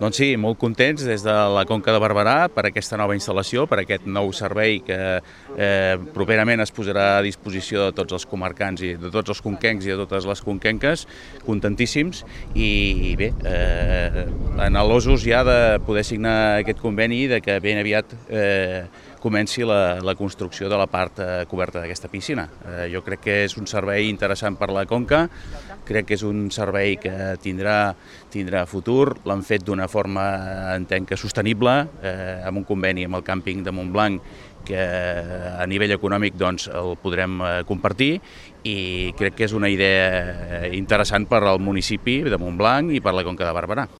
Doncs sí, molt contents des de la Conca de Barberà per aquesta nova instal·lació, per aquest nou servei que properament es posarà a disposició de tots els comarcants i de tots els conquencs i de totes les conquenques, contentíssims i bé, anhelosos ja de poder signar aquest conveni i de que ben aviat comenci la construcció de la part coberta d'aquesta piscina. Jo crec que és un servei interessant per la Conca, crec que és un servei que tindrà futur, l'han fet d'una forma, entenc que sostenible, amb un conveni amb el càmping de Montblanc que a nivell econòmic doncs, el podrem compartir i crec que és una idea interessant per al municipi de Montblanc i per la Conca de Barberà.